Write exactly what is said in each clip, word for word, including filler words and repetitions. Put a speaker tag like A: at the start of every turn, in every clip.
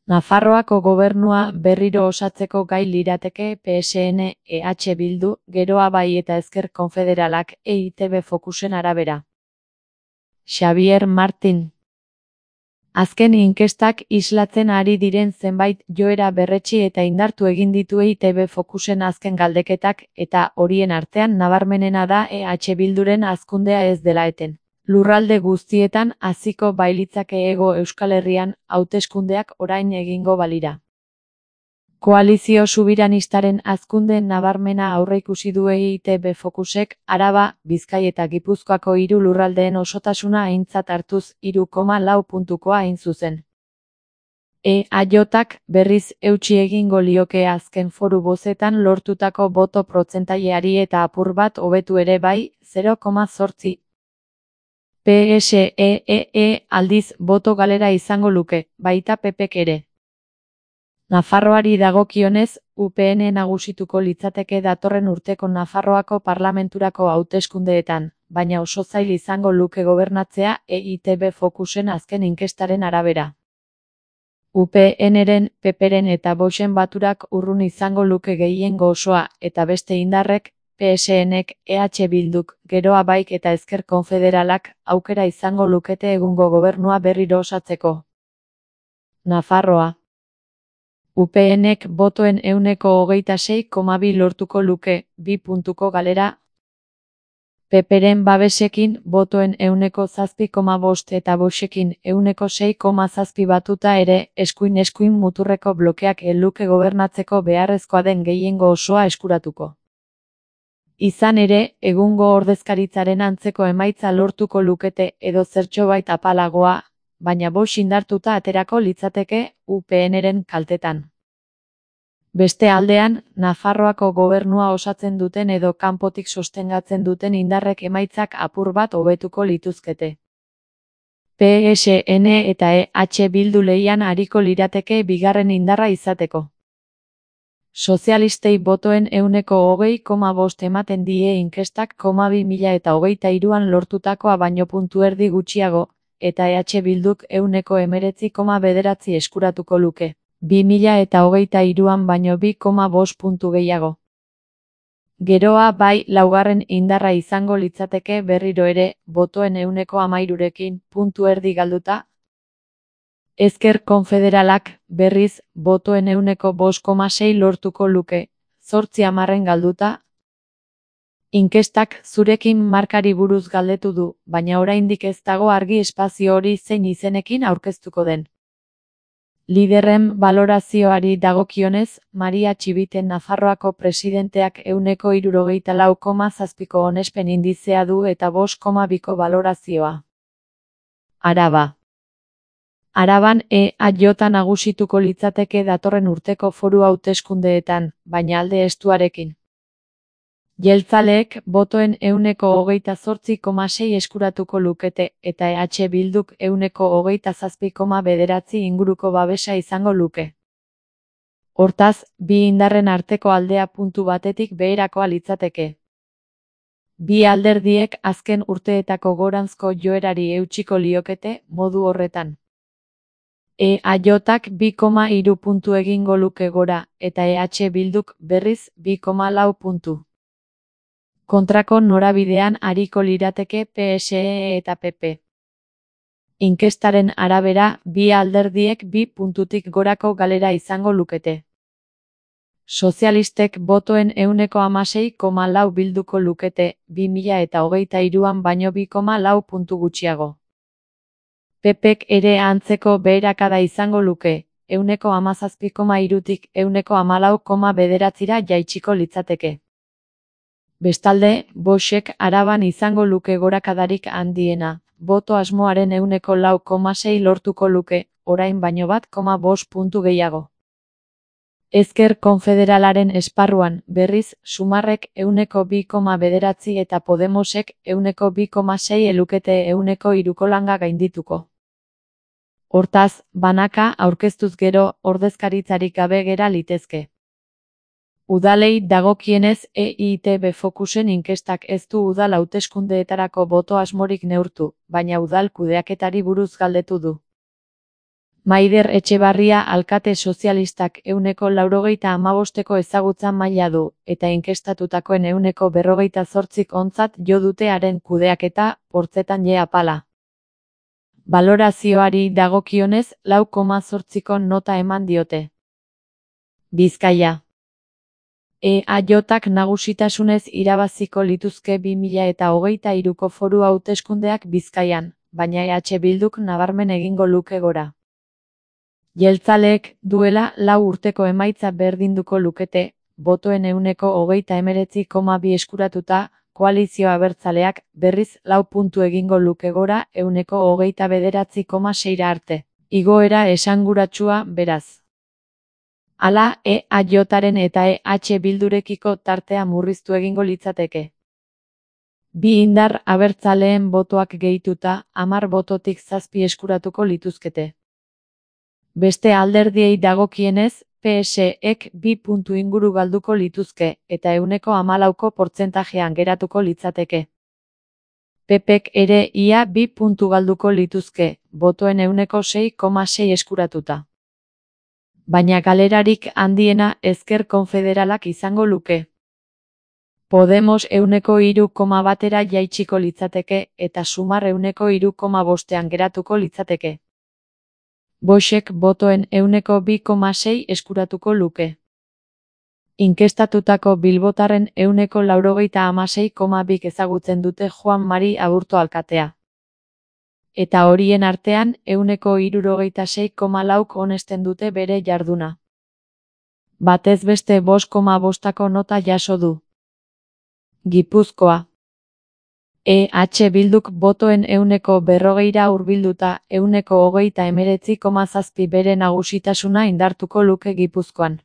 A: Nafarroako gobernua berriro osatzeko gai lirateke P S N, E H Bildu, Geroa Bai eta Ezker Konfederalak, E I T B Focusen arabera. Xabier Martin. Azken inkestak islatzen ari diren zenbait joera berretsi eta indartu egin ditu E I T B Focusen azken galdeketak, eta horien artean nabarmenena da E H Bilduren hazkundea ez dela eten. Lurralde guztietan haziko bailitzake Hego Euskal Herrian, hauteskundeak orain egingo balira. Koalizio Subiranistaren hazkunde nabarmena aurreikusi du E I T B Focusek, Araba, Bizkai eta Gipuzkoako hiru lurraldeen osotasuna aintzat hartuz hiru koma lau puntukoa hain zuzen. E A J-ak berriz eutsi egingo lioke azken foru bozetan lortutako boto protzentaileari eta apur bat hobetu ere bai, zero koma zortzi. P S E E aldiz boto galera izango luke, baita P Pek ere. Nafarroari dagokionez, U P N nagusituko litzateke datorren urteko Nafarroako parlamenturako hauteskundeetan, baina oso zail izango luke gobernatzea E I T B Focusen azken inkestaren arabera. U P N-ren, P P-ren eta Voxen baturak urrun izango luke gehiengo osoa, eta beste indarrek, P S N-ek, E H Bilduk, Geroa Baik eta Ezker Konfederalak, aukera izango lukete egungo gobernua berriro osatzeko. Nafarroa. U P N-ek botoen ehuneko hogeita sei koma bi lortuko luke, bi puntuko galera. P P-ren babesekin botoen ehuneko zazpi koma bost eta Voxekin ehuneko sei koma zazpi batuta ere, eskuin-eskuin muturreko blokeak ez luke gobernatzeko beharrezkoa den gehiengo osoa eskuratuko. Izan ere, egungo ordezkaritzaren antzeko emaitza lortuko lukete edo zertxobait apalagoa, baina Vox indartuta aterako litzateke U P N-ren kaltetan. Beste aldean, Nafarroako gobernua osatzen duten edo kanpotik sostengatzen duten indarrek emaitzak apur bat hobetuko lituzkete. P S N eta E H Bildu lehian ariko lirateke bigarren indarra izateko. Sozialistei botoen ehuneko hogei koma bost ematen die inkestak koma bi mila eta hogeita hiruan lortutakoa baino puntu erdi gutxiago, eta E H Bilduk ehuneko hemeretzi koma bederatzi eskuratuko luke, bi mila eta hogeita hiruan baino bi koma bost puntu gehiago. Geroa Bai laugarren indarra izango litzateke berriro ere, botoen ehuneko hamairurekin, puntu erdi galduta. Ezker Konfederalak, berriz, botoen ehuneko bost koma sei lortuko luke, zortzi hamarren galduta. Inkestak zurekin markari buruz galdetu du, baina oraindik ez dago argi espazio hori zein izenekin aurkeztuko den. Liderren balorazioari dagokionez, Maria Txibiten Nafarroako presidenteak ehuneko hirurogeita lau koma zazpiko onespen indizea du eta bost koma biko balorazioa. Araba. Araban E A J nagusituko litzateke datorren urteko foru hauteskundeetan, baina alde estuarekin. Jeltzaleek botoen ehuneko hogeita zortzi koma sei eskuratuko lukete, eta E H Bilduk ehuneko hogeita zazpi koma bederatzi inguruko babesa izango luke. Hortaz, bi indarren arteko aldea puntu batetik beherakoa litzateke. Bi alderdiek azken urteetako goranzko joerari eutsiko liokete, modu horretan. E A J-ak bi koma hiru puntu egingo luke gora, eta E H Bilduk berriz bi koma lau puntu. Kontrako norabidean ariko lirateke P S E eta P P. Inkestaren arabera, bi alderdiek bi puntutik gorako galera izango lukete. Sozialistek botoen ehuneko hamasei koma lau bilduko lukete, bi mila eta hogeita hiruan baino bi koma lau puntu gutxiago. P Pek ere antzeko beherakada izango luke, ehuneko hamazazpi koma hirutik ehuneko hamalau koma bederatzira jaitsiko litzateke. Bestalde, Voxek Araban izango luke gorakadarik handiena, boto asmoaren ehuneko lau koma sei lortuko luke, orain baino bat koma bost puntu gehiago. Ezker Konfederalaren esparruan, berriz, Sumarrek ehuneko bi koma bederatzi eta Podemosek ehuneko bi koma sei elukete ehuneko hiruko langa gaindituko. Hortaz, banaka aurkeztuz gero, ordezkaritzarik gabe gera litezke. Udalei dagokienez E I T B Focusen inkestak ez du udal hauteskundeetarako boto asmorik neurtu, baina udal kudeaketari buruz galdetu du. Maider Etxebarria alkate sozialistak ehuneko laurogeita hamabosteko ezagutza maila du, eta inkestatutakoen ehuneko berrogeita zortzik ontzat jo dute haren kudeaketa, portzetan je apala. Balorazioari dagokionez, lau koma zortziko nota eman diote. Bizkaia. E A J-ak nagusitasunez irabaziko lituzke bi mila eta hogeita hiruko foru hauteskundeak Bizkaian, baina E H Bilduk nabarmen egingo luke gora. Jeltzaleek duela lau urteko emaitza berdinduko lukete, botoen ehuneko hogeita hemeretzi koma bi eskuratuta, koalizio abertzaleak berriz lau puntu egingo luke gora ehuneko hogeita bederatzi koma seira arte. Igoera esanguratsua beraz. Hala, E A J-aren eta E H Bildurekiko tartea murriztu egingo litzateke. Bi indar abertzaleen botoak gehituta, hamar bototik zazpi eskuratuko lituzkete. Beste alderdiei dagokienez, P S ek bi puntu inguru galduko lituzke, eta ehuneko hamalauko portzentajean geratuko litzateke. P Pek ere ia bi puntu galduko lituzke, botoen ehuneko sei koma sei eskuratuta. Baina galerarik handiena Ezker Konfederalak izango luke. Podemos ehuneko hiru koma batera jaitsiko litzateke, eta Sumar ehuneko hiru koma bostean geratuko litzateke. Voxek botoen ehuneko bi koma sei eskuratuko luke. Inkestatutako bilbotarren ehuneko laurogeita hamasei koma bik ezagutzen dute Juan Mari Aburto alkatea. Eta horien artean ehuneko hirurogeita sei koma lauk onesten dute bere jarduna. Batez beste bost koma bostako nota jaso du. Gipuzkoa. E H Bilduk botoen ehuneko berrogeira hurbilduta ehuneko hogeita hemeretzi koma zazpi bere nagusitasuna indartuko luke Gipuzkoan.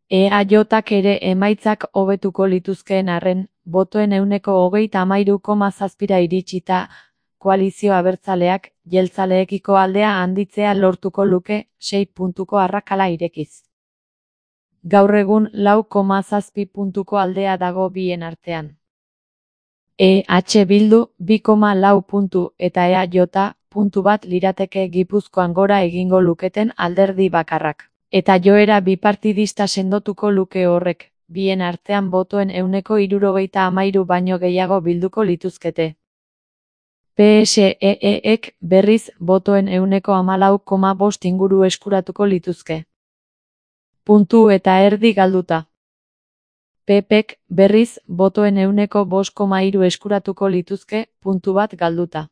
A: E A J-ak ere emaitzak hobetuko lituzkeen arren, botoen ehuneko hogeita hamairu koma zazpira iritsita, koalizio abertzaleak, jeltzaleekiko aldea handitzea lortuko luke, sei puntuko arrakala irekiz. Gaur egun lau koma zazpi puntuko aldea dago bien artean. E H Bildu, bi koma lau puntu eta E A J, puntu bat lirateke Gipuzkoan gora egingo luketen alderdi bakarrak. Eta joera bipartidista sendotuko luke horrek, bien artean botoen ehuneko hirurogeita hamairu baino gehiago bilduko lituzkete. P S E ek berriz botoen ehuneko hamalau koma bost inguru eskuratuko lituzke. Puntu eta erdi galduta. P Pek berriz botoen ehuneko bost koma hiru eskuratuko lituzke, puntu bat galduta.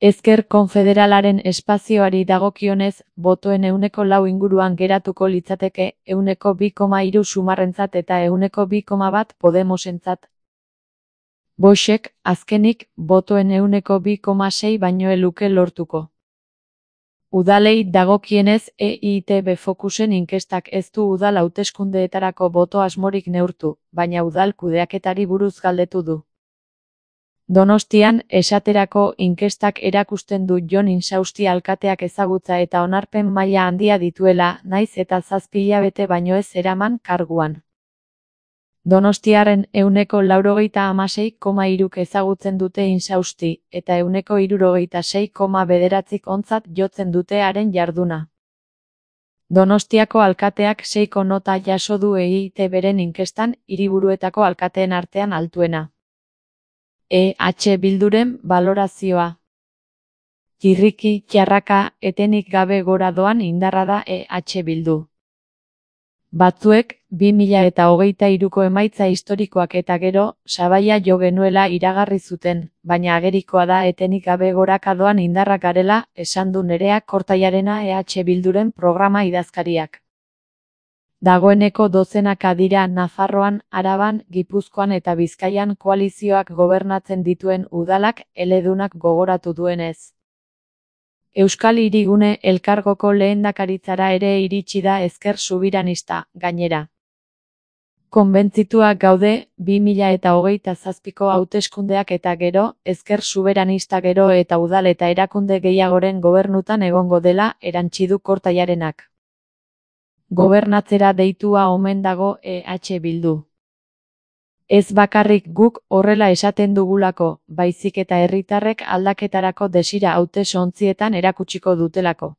A: Ezker Konfederalaren espazioari dagokionez, botoen ehuneko lau inguruan geratuko litzateke, ehuneko bi koma hiru Sumarrentzat eta ehuneko bi koma bat Podemosentzat. Voxek, azkenik, botoen ehuneko bi koma sei baino ez luke lortuko. Udalei dagokienez, E I T B Focusen inkestak ez du udal hauteskundeetarako boto asmorik neurtu, baina udal kudeaketari buruz galdetu du. Donostian, esaterako inkestak erakusten du Jon Insausti alkateak ezagutza eta onarpen maila handia dituela, naiz eta zazpi hilabete baino ez eraman karguan. Donostiarren ehuneko laurogeita hamasei koma hiruk ezagutzen dute Insausti, eta ehuneko hirurogeita sei koma bederatzik ontzat jotzen dute haren jarduna. Donostiako alkateak seiko nota jaso du E I T B-ren inkestan, hiriburuetako alkateen artean altuena. E H Bilduren balorazioa. Txirriki, txarraka, etenik gabe gora doan indarra da E H Bildu. Batzuek, bi mila eta hogeita hiruko emaitza historikoak eta gero, sabaia jo genuela iragarri zuten, baina agerikoa da etenik gabe goraka doan indarrak garela, esan du Nerea Kortailarena E H Bilduren programa idazkariak. Dagoeneko dozenaka dira Nafarroan, Araban, Gipuzkoan eta Bizkaian koalizioak gobernatzen dituen udalak eledunak gogoratu duenez. Euskal Hirigune elkargoko lehendakaritzara ere iritsi da ezker subiranista, gainera. Konbentzituak gaude, bi mila eta hogeita zazpiko hauteskundeak eta gero, ezker suberanista gero eta udal eta erakunde gehiagoren gobernutan egongo dela, erantsi du Kortailarenak. Gobernatzera deitua omen dago E H Bildu. Ez bakarrik guk horrela esaten dugulako, baizik eta herritarrek aldaketarako desira hautesontzietan erakutsiko dutelako.